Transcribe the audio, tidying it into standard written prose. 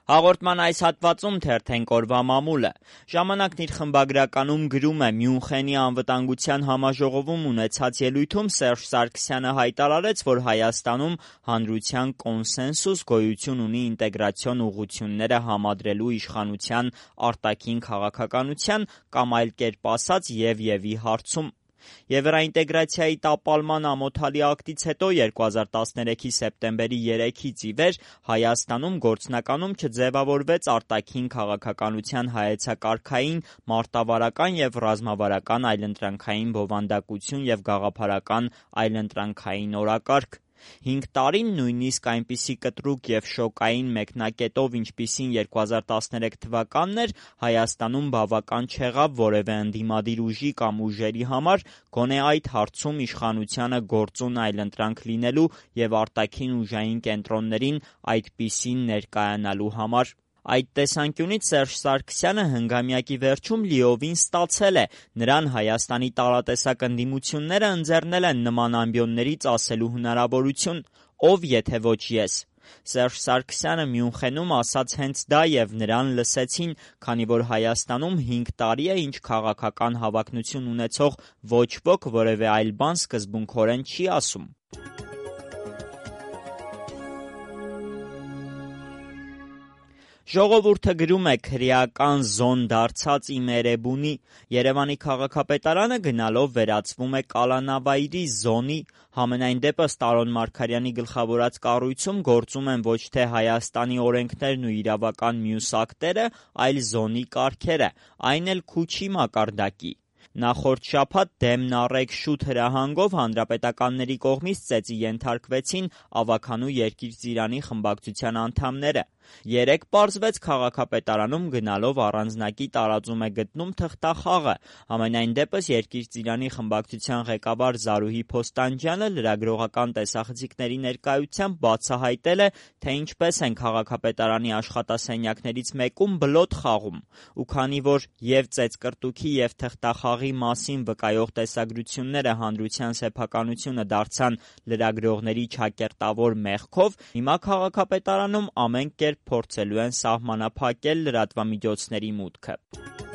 Հաղորդման այս հատվածում թերթենք օրվա մամուլը։ Ժամանակն իր խմբագրականում գրում է. Մյունխենի անվտանգության համաժողովում ունեցած ելույթում Սերժ Սարգսյանը հայտարարեց, որ Հայաստանում հանրության կոնսենսուս գոյություն ունի ինտեգրացիոն ուղղությունները համադրելու իշխանության արտաքին քաղաքականության կամ այլ կերպ ասած Եվի հարցում։ Եվրաինտեգրացիայի տապալման ամոթալի ակտից հետո 2013-ի սեպտեմբերի 3-ից ի վեր Հայաստանում գործնականում չձևավորվեց արտաքին քաղաքականության հայեցակարգային, մարտավարական և ռազմավարական այլընտրանքային բովանդակություն և գաղափարական այլընտրանքային օրակարգ։ 5 տարին նույնիսկ այնպիսի կտրուկ և շոկային մեկնակետով, ինչպիսին 2013 թվականն էր, Հայաստանում բավական չեղավ որևէ ընդդիմադիր ուժի կամ ուժերի համար գոնե այդ հարցում իշխանությանը գործուն այլընտրանք լինելու և արտաքին ուժային կենտրոններին այդպիսին ներկայանալու համար։ Այդ տեսանկյունից Սերժ Սարգսյանը հնգամյակի վերջում լիովին ստացել է, նրան Հայաստանի տարատեսակ ընդդիմությունները ընձեռնել են նման ամբիոններից ասելու հնարավորություն, ով եթե ոչ ես։ Սերժ Սարգսյանը Մյունխենում ասաց հենց դա և նրան լսեցին, քանի որ Հայաստանում 5 տարի է, ինչ քաղաքական հավակնություն ունեցող ոչ ոք որևէ այլ բան սկզբունքորեն չի ասում։ Ժողովուրդը գրում է. քրեական զոն դարձած իմ Էրեբունի։ Երևանի քաղաքապետարանը գնալով վերածվում է կալանավայրի զոնի։ Համենայն դեպս Տարոն Մարգարյանի գլխավորած կառույցում գործում են ոչ թե Հայաստանի օրենքներն ու իրավական մյուս ակտերը, այլ զոնի կարգերը, այն էլ Քուչի մակարդակի։ Նախորդ շաբաթ դեմն առեք շուտ հրահանգով հանրապետականների կողմից ծեծի ենթարկվեցին Ավագանու Երկիր-Ծիրանի խմբակցության անդամները։ Երեկ պարզվեց քաղաքապետարանում գնալով առանձնակի տարածում է գտնում թղթախաղը։ Համենայն դեպս Երկիր-Ծիրանի խմբակցության ղեկավար Զարուհի Փոստանջյանը լրագրողական տեսախցիկների ներկայությամբ բացահայտել է, թե ինչպես են քաղաքապետարանի աշխատասենյակներից մեկում բլոթ խաղում։ Ու քանի որ և ծեծկրտուքի և թղթախաղի մասին վկայող տեսագրությունները հանրության սեփականությունը դարձան լրագրողների չակերտավոր մեղքով, հիմա քաղաքապետարանում ամեն կերպ փորձելու են սահմանափակել լրատվամիջոցների մուտքը։